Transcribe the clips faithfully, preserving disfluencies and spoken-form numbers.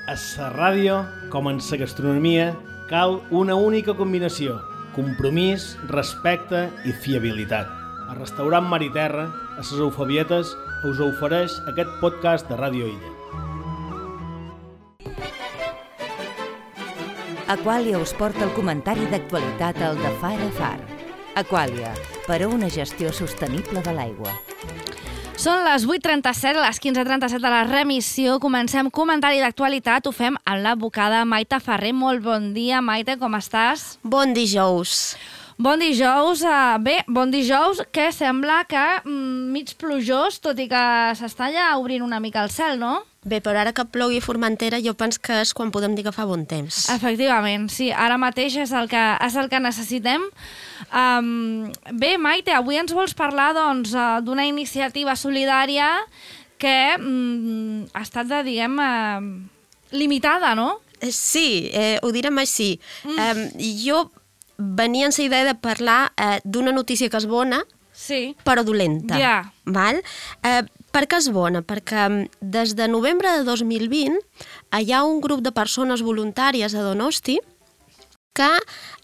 A la ràdio, com en la gastronomia, cal una única combinació: compromís, respecte i fiabilitat. El restaurant Mar i Terra, a les Eufabietes, us ofereix aquest podcast de Ràdio Illa. Aquàlia us porta el comentari d'actualitat al de Far a Far. Aquàlia, per a una gestió sostenible de l'aigua. Són les vuit trenta-set, les quinze trenta-set de la remissió. Comencem comentari d'actualitat. Ho fem amb l'advocada Maite Ferrer. Molt bon dia, Maite, com estàs? Bon dijous. Bon dijous. Uh, bé, bon dijous, que sembla que mm, mig plujós, tot i que s'està ja obrint una mica el cel, no? Bé, però ara que plogui a Formentera, jo penso que és quan podem dir que fa bon temps. Efectivament, sí. Ara mateix és el que, és el que necessitem. Um, bé, Maite, avui ens vols parlar doncs, d'una iniciativa solidària que um, ha estat, de, diguem, uh, limitada, no? Eh, sí, eh, ho direm així. Mm. Eh, jo venia amb la idea de parlar eh, d'una notícia que és bona, sí, però dolenta. Ja. Val? Eh, per què és bona? Perquè des de novembre de dos mil vint hi ha un grup de persones voluntàries a Donosti que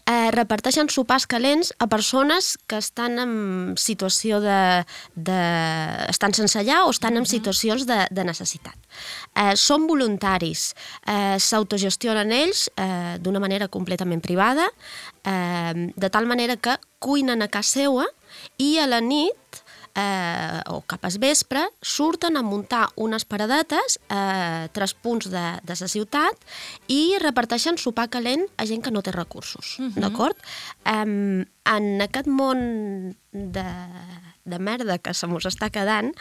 eh, reparteixen sopars calents a persones que estan en situació de... de estan sense llar o estan en situacions de, de necessitat. Eh, són voluntaris, eh, s'autogestionen ells eh, d'una manera completament privada, eh, de tal manera que cuinen a casa seva i a la nit Eh, o cap al vespre, surten a muntar unes paradetes a eh, tres punts de, de la ciutat i reparteixen sopar calent a gent que no té recursos, uh-huh. d'acord? Eh, en aquest món de, de merda que se mos està quedant,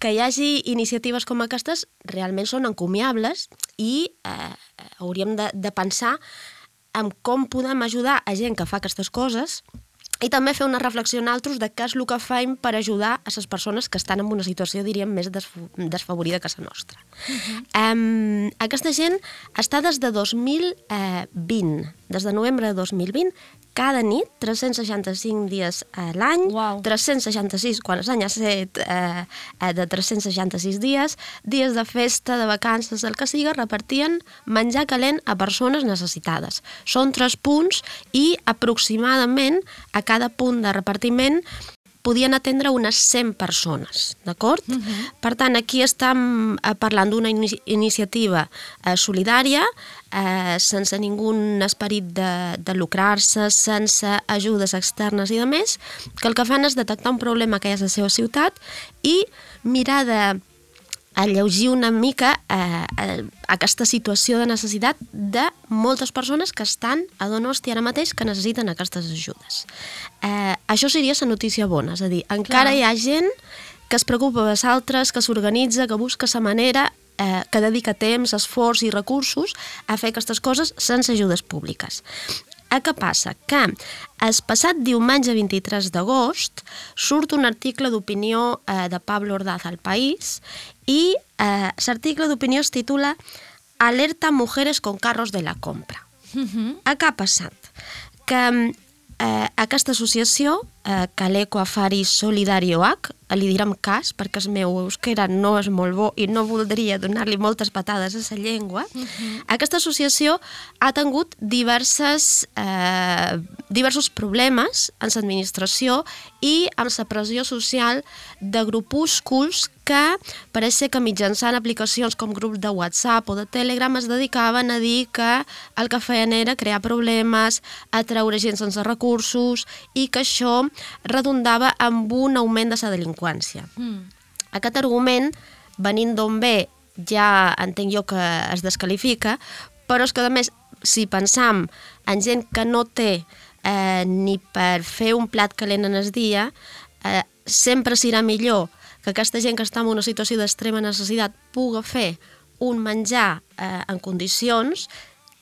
que hi hagi iniciatives com aquestes realment són encomiables i eh, hauríem de, de pensar en com podem ajudar a gent que fa aquestes coses i també fer una reflexió en altres de què és el que fem per ajudar a les persones que estan en una situació, diríem, més desfavorida que la nostra. Uh-huh. Um, aquesta gent està des de dos mil vint, des de novembre de dos mil vint, cada nit, tres-cents seixanta-cinc dies a l'any, wow. tres-cents seixanta-sis quan l'any ha set eh, de tres-cents seixanta-sis dies, dies de festa, de vacances, el que siga, repartien menjar calent a persones necessitades. Són tres punts i aproximadament a cada punt de repartiment podien atendre unes cent persones, d'acord? Uh-huh. Per tant, aquí estem parlant d'una inici- iniciativa eh, solidària, eh, sense ningú esperit de, de lucrar-se, sense ajudes externes i de més, que el que fan és detectar un problema que hi ha a la seva ciutat i mirar de alleugir una mica eh, aquesta situació de necessitat de moltes persones que estan a Donosti ara mateix que necessiten aquestes ajudes. Eh, això seria la notícia bona, és a dir, encara Clar. Hi ha gent que es preocupa dels altres, que s'organitza, que busca la manera, eh, que dedica temps, esforç i recursos a fer aquestes coses sense ajudes públiques. Eh, què passa? Que el passat diumenge vint-i-tres d'agost surt un article d'opinió eh, de Pablo Ordaz al País i eh, l'article d'opinió es titula Alerta mujeres con carros de la compra. Uh-huh. Eh, què ha passat? Que eh, aquesta associació, eh, Caleco Afari Solidarioac, li direm cas perquè el meu euskera no és molt bo i no voldria donar-li moltes patades a la llengua, uh-huh. aquesta associació ha tingut diverses, eh, diversos problemes en l'administració i amb la pressió social de grupúsculs que pareix ser que mitjançant aplicacions com grups de WhatsApp o de Telegram es dedicaven a dir que el que feien era crear problemes, atraure gent sense recursos i que això redundava amb un augment de la delinqüència. Mm. Aquest argument, venint d'on ve, ja entenc jo que es desqualifica, però és que a més, si pensam en gent que no té eh, ni per fer un plat calent en el dia, eh, sempre serà millor que aquesta gent que està en una situació d'extrema necessitat pugui fer un menjar eh, en condicions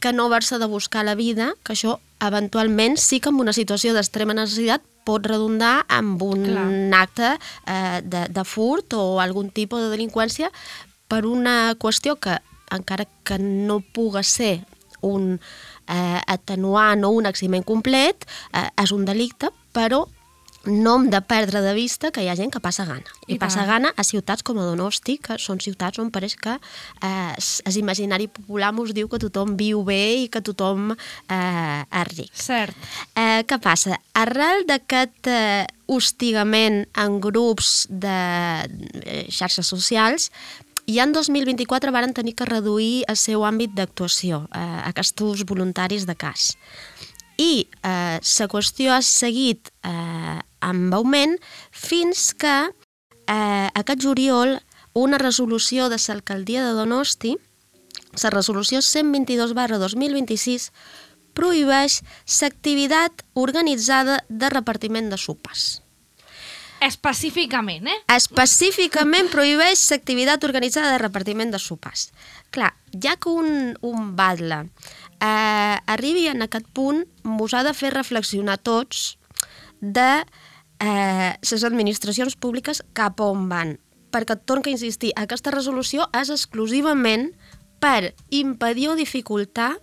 que no haver-se de buscar la vida, que això eventualment sí que en una situació d'extrema necessitat pot redundar en un Clar. acte eh, de, de furt o algun tipus de delinqüència per una qüestió que, encara que no pugui ser un eh, atenuant o un eximent complet, eh, és un delicte, però no hem de perdre de vista que hi ha gent que passa gana. I, I passa tant. gana a ciutats com a Donosti, que són ciutats on pareix que eh, és imaginari popular mos diu que tothom viu bé i que tothom eh, és ric. Cert. Eh, què passa? Arrel d'aquest eh, hostigament en grups de eh, xarxes socials, ja en dos mil vint-i-quatre varen tenir que reduir el seu àmbit d'actuació, eh, aquests voluntaris de cas. I eh, la qüestió ha seguit eh, amb augment fins que eh, aquest juliol una resolució de l'alcaldia de Donosti, la resolució cent vint-i-dos barra dos mil vint-i-sis, prohibeix l'activitat organitzada de repartiment de sopars. Específicament, eh? Específicament prohibeix l'activitat organitzada de repartiment de sopars. Clar, ja que un, un batlle eh, arribi en aquest punt, mos ha de fer reflexionar tots de eh, les administracions públiques cap on van. Perquè, torno a insistir, aquesta resolució és exclusivament per impedir o dificultar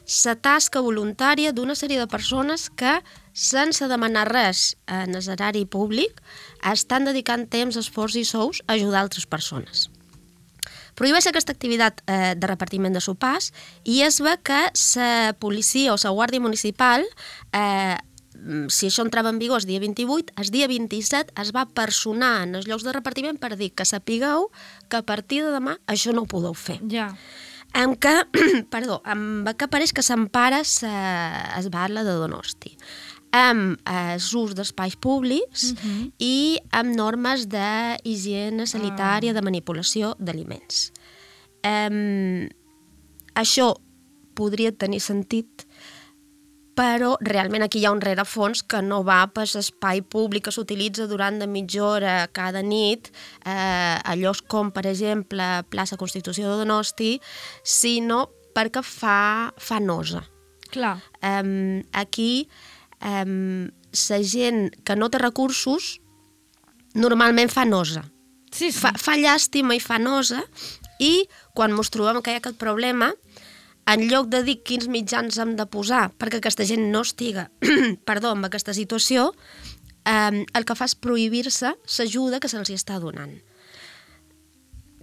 la tasca voluntària d'una sèrie de persones que, sense demanar res en el erari públic, estan dedicant temps, esforç i sous a ajudar altres persones. Prohibeix aquesta activitat eh, de repartiment de sopars i es ve que la policia o la guàrdia municipal, eh, si això entrava en vigor el dia vint-i-vuit, el dia vint-i-set es va personar en els llocs de repartiment per dir que sapigueu que a partir de demà això no ho podeu fer. Ja. Amb que, perdó, amb que pareix que s'empara es batlle de Donosti, amb l'ús d'espais públics uh-huh. i amb normes d'higiene sanitària, de manipulació d'aliments. Um, això podria tenir sentit, però realment aquí hi ha un rerefons que no va per l'espai públic que s'utilitza durant de mitja hora cada nit, eh, a llocs com, per exemple, plaça Constitució de Donosti, sinó perquè fa, fa nosa. Clar. Um, aquí, um, la gent que no té recursos normalment fa nosa. Sí, sí. Fa, fa llàstima i fa nosa, i quan ens trobem que hi ha aquest problema, en lloc de dir quins mitjans hem de posar perquè aquesta gent no estiga perdó, en aquesta situació, eh, el que fa és prohibir-se l'ajuda que se'ls està donant.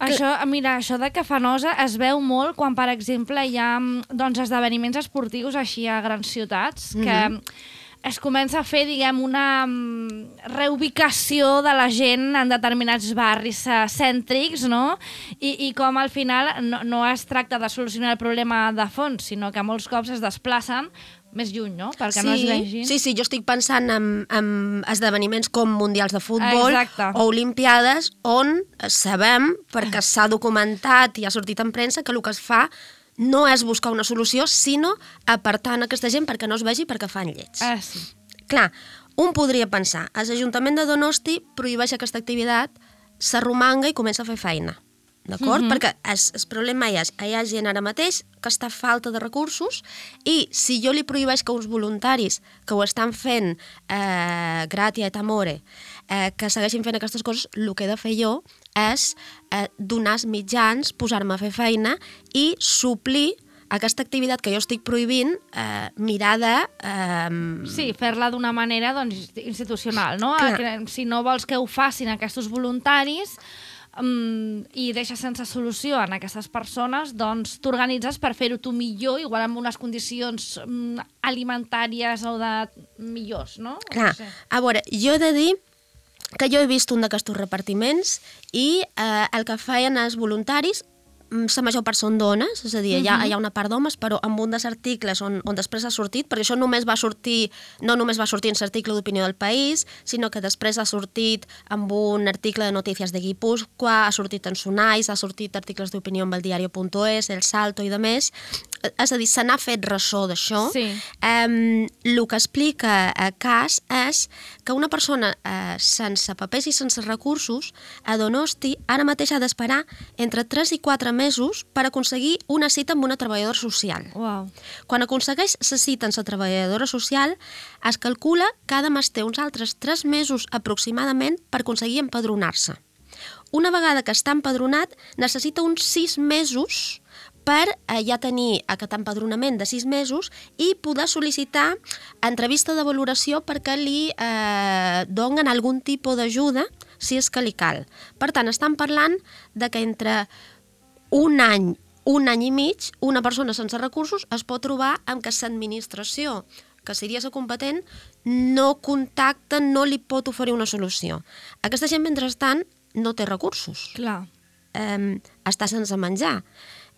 Això, mira, això de que fa nosa es veu molt quan, per exemple, hi ha doncs, esdeveniments esportius així a grans ciutats, que mm-hmm. es comença a fer, diguem, una reubicació de la gent en determinats barris cèntrics, no? I, i com al final no, no es tracta de solucionar el problema de fons, sinó que molts cops es desplacen més lluny, no? Perquè sí, no es vegin. Sí, sí, jo estic pensant en, en esdeveniments com mundials de futbol Exacte. O olimpiades, on sabem, perquè s'ha documentat i ha sortit en premsa, que el que es fa no és buscar una solució, sinó apartant aquesta gent perquè no es vegi perquè fan llets. Ah, sí. Clar, un podria pensar, l'Ajuntament de Donosti prohibeix aquesta activitat, s'arromanga i comença a fer feina. D'acord? Mm-hmm. Perquè el, el problema és, hi ha gent ara mateix que està falta de recursos i si jo li prohibeix que uns voluntaris que ho estan fent eh, gratia et amore, eh, que segueixin fent aquestes coses, el que he de fer jo és eh, donar els mitjans, posar-me a fer feina i suplir aquesta activitat que jo estic prohibint, eh, mirar de... Eh... Sí, fer-la d'una manera doncs, institucional, no? Clar. Si no vols que ho facin aquests voluntaris, Um, i deixes sense solució en aquestes persones, doncs t'organitzes per fer-ho tu millor, igual amb unes condicions um, alimentàries o de millors, no? Clar, no sé. A veure, jo he de dir que jo he vist un d'aquests repartiments i eh, el que feien els voluntaris, la major part són dones, és a dir, hi ha, hi ha una part d'homes, però amb un dels articles on, on després ha sortit, perquè això només va sortir, no només va sortir en l'article d'Opinió del País, sinó que després ha sortit amb un article de Notícies de Guipúscoa, ha sortit en Sonais, ha sortit articles d'opinió amb el diario punt es, El Salto i de més. És a dir, se n'ha fet ressò d'això. Sí. Um, el que explica a cas és que una persona eh, sense papers i sense recursos a Donosti ara mateix ha d'esperar entre tres i quatre mesos per aconseguir una cita amb una treballadora social. Uau. Quan aconsegueix la cita amb la treballadora social, es calcula que ha de mestre uns altres tres mesos aproximadament per aconseguir empadronar-se. Una vegada que està empadronat, necessita uns sis mesos per eh, ja tenir aquest empadronament de sis mesos i poder sol·licitar entrevista de valoració perquè li eh, donen algun tipus d'ajuda si és que li cal. Per tant, estan parlant de que entre un any, un any i mig, una persona sense recursos es pot trobar amb que l'administració, que seria la competent, no contacta, no li pot oferir una solució. Aquesta gent, mentrestant, no té recursos. Clar. Eh, està sense menjar.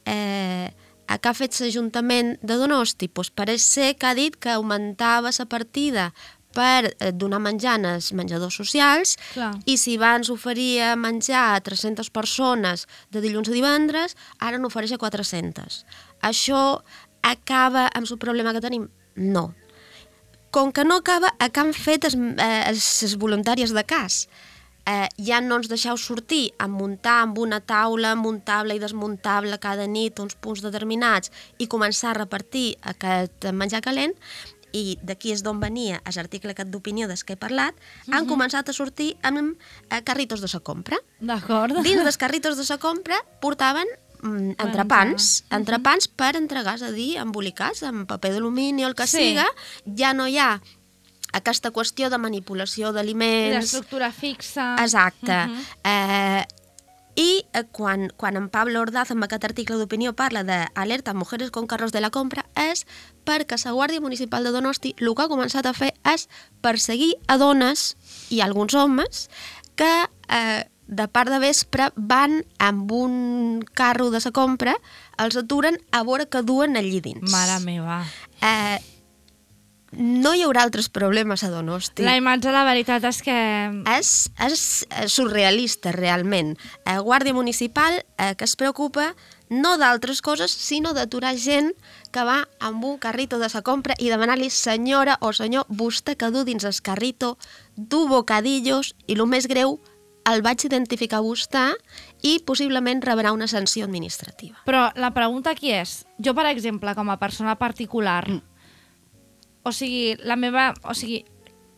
Eh, a què ha fet l'Ajuntament de Donosti? Pues pareix ser que ha dit que augmentava la partida per donar menjar als menjadors socials. Clar. I si abans oferia menjar a tres-centes persones de dilluns a divendres, ara n'ofereix a quatre-centes. Això acaba amb el problema que tenim? No. Com que no acaba, a què han fet les voluntàries de cas? Eh, ja no ens deixeu sortir a muntar amb una taula muntable i desmuntable cada nit uns punts determinats i començar a repartir aquest menjar calent, i d'aquí és d'on venia l'article aquest d'opinió des que he parlat, uh-huh. han començat a sortir amb eh, carritos de la compra. D'acord. Dins dels carritos de la compra portaven mm, entrepans, uh-huh. entrepans per entregar, és a dir, embolicats amb paper d'alumini o el que sí. siga. Ja no hi ha aquesta qüestió de manipulació d'aliments... L'estructura fixa... Exacte. Uh-huh. eh, I eh, quan, quan en Pablo Ordaz, amb aquest article d'opinió, parla d'alerta a mujeres con carros de la compra, és perquè la Guàrdia Municipal de Donosti el que ha començat a fer és perseguir a dones i alguns homes que eh, de part de vespre van amb un carro de la compra, els aturen a veure què duen allí dins. Mare meva. Eh, no hi haurà altres problemes a Donosti. La imatge, la veritat és que... És, és surrealista, realment. Eh, Guàrdia Municipal eh, que es preocupa no d'altres coses, sinó d'aturar gent que va amb un carrito de sa compra i demanar-li, senyora o senyor, vostè que du dins el carrito, du bocadillos, i el més greu, el vaig identificar vostè i possiblement rebrà una sanció administrativa. Però la pregunta aquí és, jo, per exemple, com a persona particular, mm. o sigui, la meva... O sigui,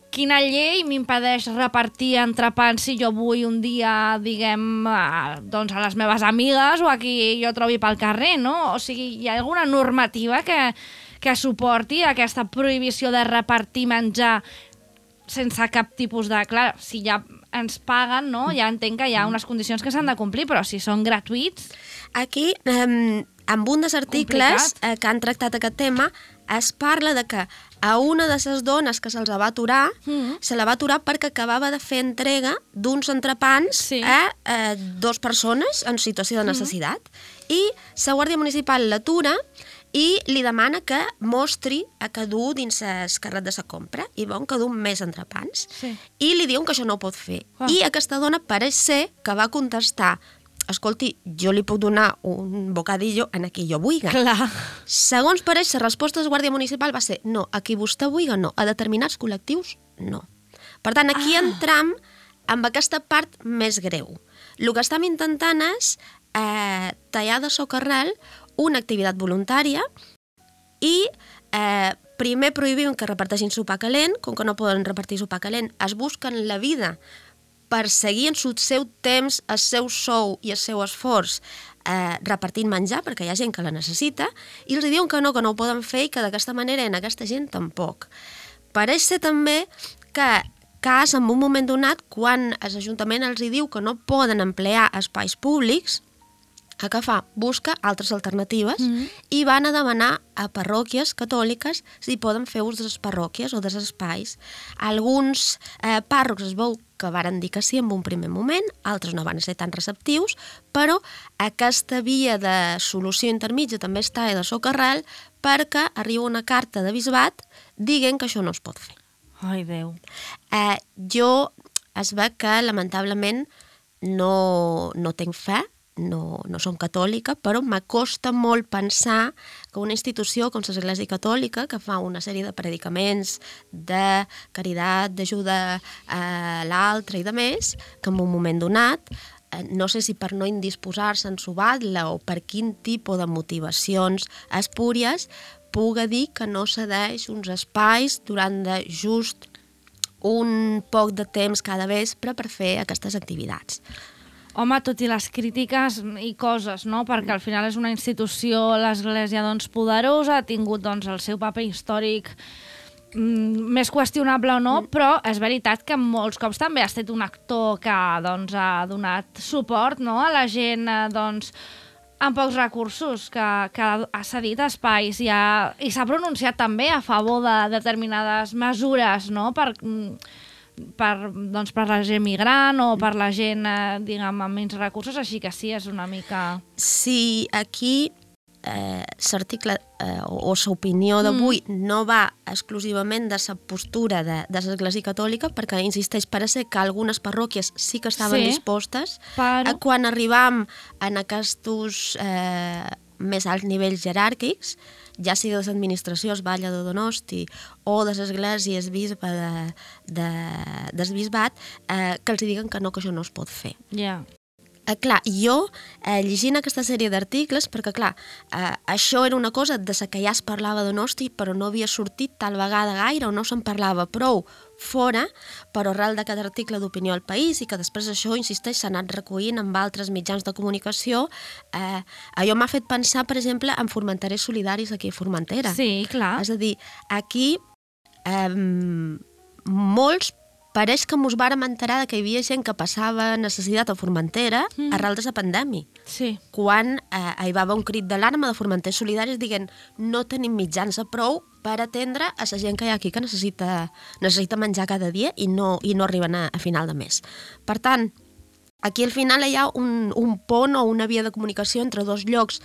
quina llei m'impedeix repartir entrepans si jo vull un dia, diguem, a, doncs a les meves amigues o a qui jo trobi pel carrer, no? O sigui, hi ha alguna normativa que, que suporti aquesta prohibició de repartir menjar sense cap tipus de... Clar, si ja ens paguen, no? Ja entenc que hi ha unes condicions que s'han de complir, però si són gratuïts... Aquí, eh, amb un dels articles eh, que han tractat aquest tema, es parla de que a una de les dones que se'ls va aturar, mm. se la va aturar perquè acabava de fer entrega d'uns entrepans sí. a eh, dues persones en situació de necessitat. Mm. I la Guàrdia Municipal l'atura i li demana que mostri a que du dins el carret de la compra i veuen que du més entrepans. Sí. I li diuen que això no ho pot fer. Oh. I aquesta dona pareix ser que va contestar: escolti, jo li puc donar un bocadillo en qui jo vulgui. Clar. Segons pareix, la resposta de la Guàrdia Municipal va ser no, a qui vostè vulgui no, a determinats col·lectius no. Per tant, aquí ah. entram amb aquesta part més greu. El que estem intentant és eh, tallar de socarrel una activitat voluntària i eh, primer prohibim que reparteixin sopar calent, com que no poden repartir sopar calent, es busquen la vida per seguir en el seu temps, el seu sou i el seu esforç eh, repartint menjar, perquè hi ha gent que la necessita, i els diuen que no, que no ho poden fer i que d'aquesta manera en aquesta gent tampoc. Pareix ser també que cas en un moment donat, quan l'Ajuntament els diu que no poden emplear espais públics, a què fa? Busca altres alternatives mm-hmm. i van a demanar a parròquies catòliques si poden fer ús de les parròquies o dels espais. Alguns eh, pàrrocs es veu que varen dir que sí en un primer moment, altres no van ser tan receptius, però aquesta via de solució intermitja també està de socarrel perquè arriba una carta de bisbat dient que això no es pot fer. Ai, Déu. Eh, jo es veu que, lamentablement, no, no tinc fe, no, no som catòlica, però m'acosta molt pensar que una institució com l'Església Catòlica, que fa una sèrie de predicaments de caritat, d'ajuda a l'altre i de més, que en un moment donat, no sé si per no indisposar-se en sobar-la o per quin tipus de motivacions espúries, puga dir que no cedeix uns espais durant de just un poc de temps cada vespre per fer aquestes activitats. home, tot i les crítiques i coses, no? Perquè al final és una institució, l'Església, doncs, poderosa, ha tingut, doncs, el seu paper històric mm, més qüestionable o no, mm. però és veritat que molts cops també ha estat un actor que, doncs, ha donat suport, no?, a la gent, eh, doncs, amb pocs recursos, que, que ha cedit espais i, ha, i s'ha pronunciat també a favor de determinades mesures, no?, per, per, doncs, per la gent migrant o per la gent, eh, diguem, amb menys recursos, així que sí, és una mica... Sí, aquí eh, l'article eh, o, o l'opinió d'avui mm. no va exclusivament de la postura de, de l'Església Catòlica, perquè insisteix, parece que algunes parròquies sí que estaven sí, dispostes. Però... A quan arribam en aquests eh, més alts nivells jeràrquics, ja sigui de l'administració, Batlle de Donosti, o de l'església, bisbe de, de, del bisbat, eh, que els diguen que no, que això no es pot fer. Ja. Yeah. Eh, clar, jo, eh, llegint aquesta sèrie d'articles, perquè clar, eh, això era una cosa de la que ja es parlava de Donosti, però no havia sortit tal vegada gaire, o no se'n parlava prou fora, però arrel d'aquest article d'Opinió al País, i que després això, insisteix, s'ha anat recollint amb altres mitjans de comunicació, eh, allò m'ha fet pensar, per exemple, en Formenterers Solidaris aquí a Formentera. Sí, clar. És a dir, aquí eh, molts pareix que mos vàrem enterar que hi havia gent que passava necessitat a Formentera mm. arrel de la pandèmia. Sí. Quan eh, hi va haver un crit d'alarma de Formenters Solidaris dient no tenim mitjans a prou per atendre a la gent que hi ha aquí que necessita, necessita menjar cada dia i no, i no arriben a, a final de mes. Per tant, aquí al final hi ha un, un pont o una via de comunicació entre dos llocs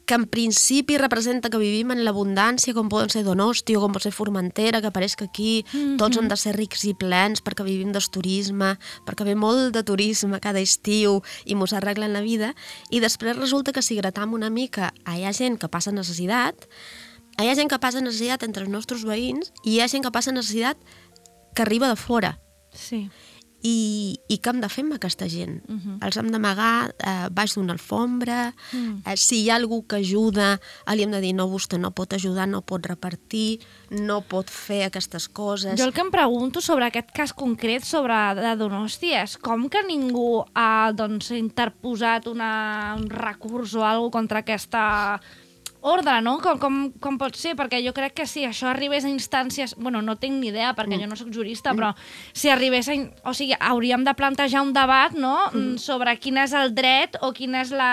que en principi representa que vivim en l'abundància, com poden ser Donosti o com pot ser Formentera, que pareix que aquí mm-hmm. tots hem de ser rics i plens perquè vivim del turisme, perquè ve molt de turisme cada estiu i mos arreglen la vida, i després resulta que si gratam una mica hi ha gent que passa necessitat, hi ha gent que passa necessitat entre els nostres veïns i hi ha gent que passa necessitat que arriba de fora. Sí. I, i què hem de fer amb aquesta gent? Uh-huh. Els hem d'amagar eh, baix d'una alfombra, uh-huh. eh, si hi ha algú que ajuda, li hem de dir no, vostè no pot ajudar, no pot repartir, no pot fer aquestes coses. Jo el que em pregunto sobre aquest cas concret sobre de Donosti és com que ningú ha doncs, interposat una, un recurs o alguna cosa contra aquesta ordre, no? Com, com, com pot ser? Perquè jo crec que si això arribés a instàncies... Bueno, no tinc ni idea, perquè mm. jo no sóc jurista, però si arribés a... O sigui, hauríem de plantejar un debat, no?, mm. sobre quin és el dret o quin és la...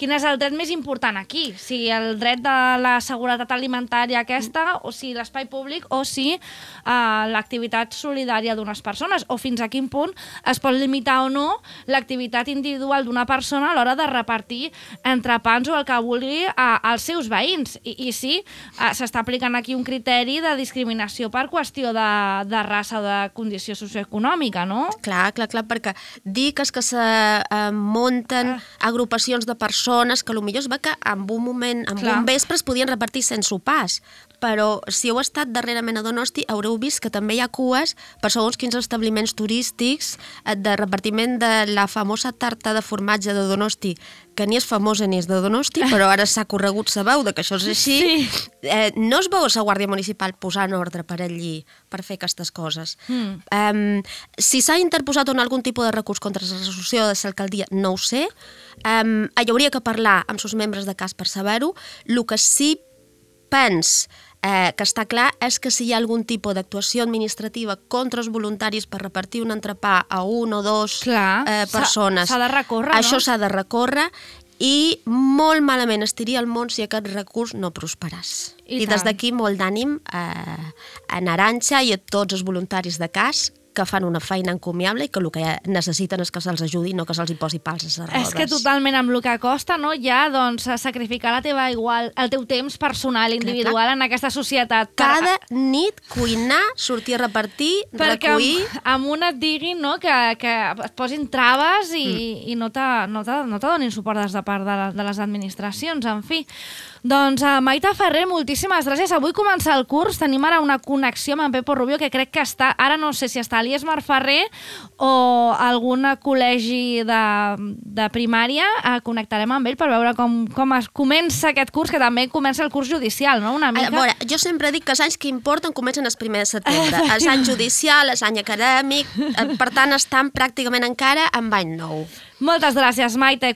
Quin és el dret més important aquí? Si el dret de la seguretat alimentària aquesta, o si l'espai públic, o si uh, l'activitat solidària d'unes persones, o fins a quin punt es pot limitar o no l'activitat individual d'una persona a l'hora de repartir entrepans o el que vulgui uh, als seus veïns. I, i sí, uh, s'està aplicant aquí un criteri de discriminació per qüestió de, de raça o de condició socioeconòmica, no? Clar, clar, clar, perquè dir que és que se uh, munten uh. agrupacions de persones que potser es va que en un moment, en Clar. un vespre es podien repartir sense sopars, però si heu estat darrerament a Donosti haureu vist que també hi ha cues per segons quins establiments turístics de repartiment de la famosa tarta de formatge de Donosti, que ni és famosa ni és de Donosti, però ara s'ha corregut sa veu de que això és així. Sí. Eh, no es veu la Guàrdia Municipal posant ordre per allí per fer aquestes coses. Mm. Um, si s'ha interposat on algun tipus de recurs contra la resolució de l'alcaldia, no ho sé. Um, hi hauria que parlar amb els membres de cas per saber-ho. El que sí pens eh, que està clar és que si hi ha algun tipus d'actuació administrativa contra els voluntaris per repartir un entrepà a un o dos clar, eh, persones, s'ha de recórrer, això no? s'ha de recórrer i molt malament estiria el món si aquest recurs no prosperàs. I, I des d'aquí molt d'ànim eh, a Naranja i a tots els voluntaris de cas que fan una feina encomiable i que el que necessiten és que se'ls ajudi, no que se'ls hi posi pals a les rodes. És que totalment amb el que costa, no? Ja, doncs, sacrificar la teva igual, el teu temps personal, individual, clar, clar. en aquesta societat. Cada per... nit cuinar, sortir a repartir, perquè recollir... Perquè amb una et diguin, no?, que, que et posin traves i, mm. i no te, no te, no te donin suport des de part de, de les administracions, en fi. Doncs uh, Maite Ferrer, moltíssimes gràcies. Avui comença el curs, tenim ara una connexió amb en Pepo Rubio, que crec que està, ara no sé si està a l'Iesmar Ferrer o algun col·legi de, de primària, uh, connectarem amb ell per veure com, com es comença aquest curs, que també comença el curs judicial, no? Una mica... A veure, jo sempre dic que els anys que importen comencen el primer de setembre. Els any judicial, els any acadèmic, per tant estan pràcticament encara en any nou. Moltes gràcies, Maite.